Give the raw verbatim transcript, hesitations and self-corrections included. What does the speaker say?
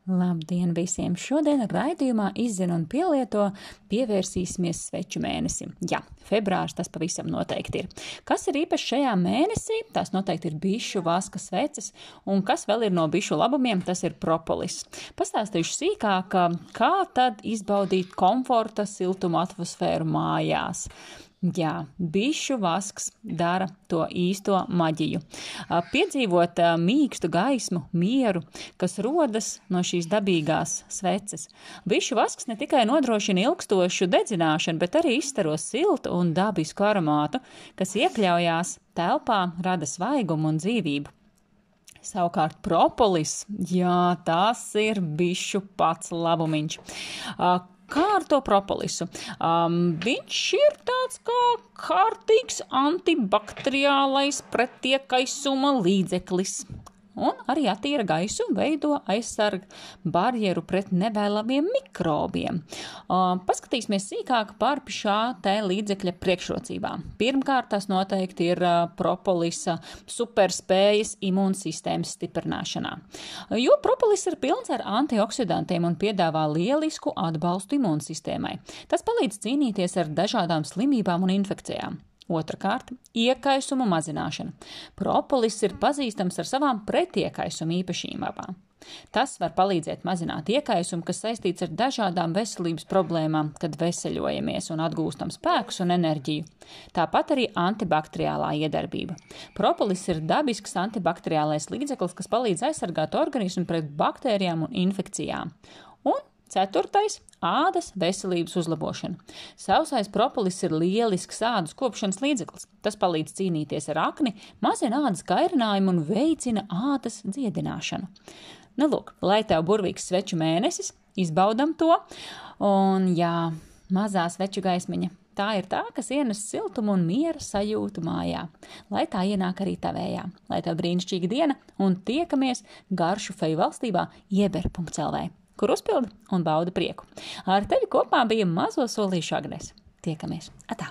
Labdien visiem! Šodien raidījumā Izzina un pielieto pievērsīsimies sveču mēnesim. Jā, februārs tas pavisam noteikti ir. Kas ir īpaši šajā mēnesī? Tās noteikti ir bišu vaska sveces, un kas vēl ir no bišu labumiem, tas ir propolis. Pastāstīšu sīkāk, kā tad izbaudīt komforta siltumu atmosfēru mājās. Jā, bišu vasks dara to īsto maģiju. Piedzīvot mīkstu gaismu, mieru, kas rodas no šīs dabīgās sveces. Bišu vasks ne tikai nodrošina ilgstošu dedzināšanu, bet arī izstaro siltu un dabisku aromātu, kas iekļaujās telpā, rada svaigumu un dzīvību. Savukārt propolis, jā, tas ir bišu pats labumiņš. Kā ar to propolisu? Um, viņš ir tāds kā kārtīgs antibakteriālais pretiekaisuma līdzeklis. Un arī attīra gaisu, veido aizsarg barjeru pret nevēlamiem mikrobiem. Uh, paskatīsimies sīkāk par šā te līdzekļa priekšrocībām. Pirmkārt, tas noteikti ir uh, propolisa superspējas imūnsistēmas stiprināšanā. Jo propolis ir pilns ar antioksidantiem un piedāvā lielisku atbalstu imūnsistēmai. Tas palīdz cīnīties ar dažādām slimībām un infekcijām. Otrakārt, iekaisumu mazināšana. Propolis ir pazīstams ar savām pretiekaisuma īpašībām. Tas var palīdzēt mazināt iekaisumu, kas saistīts ar dažādām veselības problēmām, kad veseļojamies un atgūstam spēkus un enerģiju. Tāpat arī antibakteriālā iedarbība. Propolis ir dabisks antibakteriālais līdzeklis, kas palīdz aizsargāt organismu pret baktērijām un infekcijām. Un ceturtais – ādas veselības uzlabošana. Sausais propolis ir lielisks ādas kopšanas līdzeklis. Tas palīdz cīnīties ar akni, mazina ādas kairinājumu un veicina ādas dziedināšanu. Nu, lūk, lai tev burvīgs sveču mēnesis, izbaudam to. Un, jā, mazā sveču gaismiņa. Tā ir tā, kas ienes siltumu un miera sajūtu mājā. Lai tā ienāk arī tavējā. Lai tev brīnišķīga diena un tiekamies garšu feju valstībā ieber punkts el vē. Kur uzpildi un bauda prieku. Ar tevi kopā bija mazo solīšu Agnes. Tiekamies. Atā!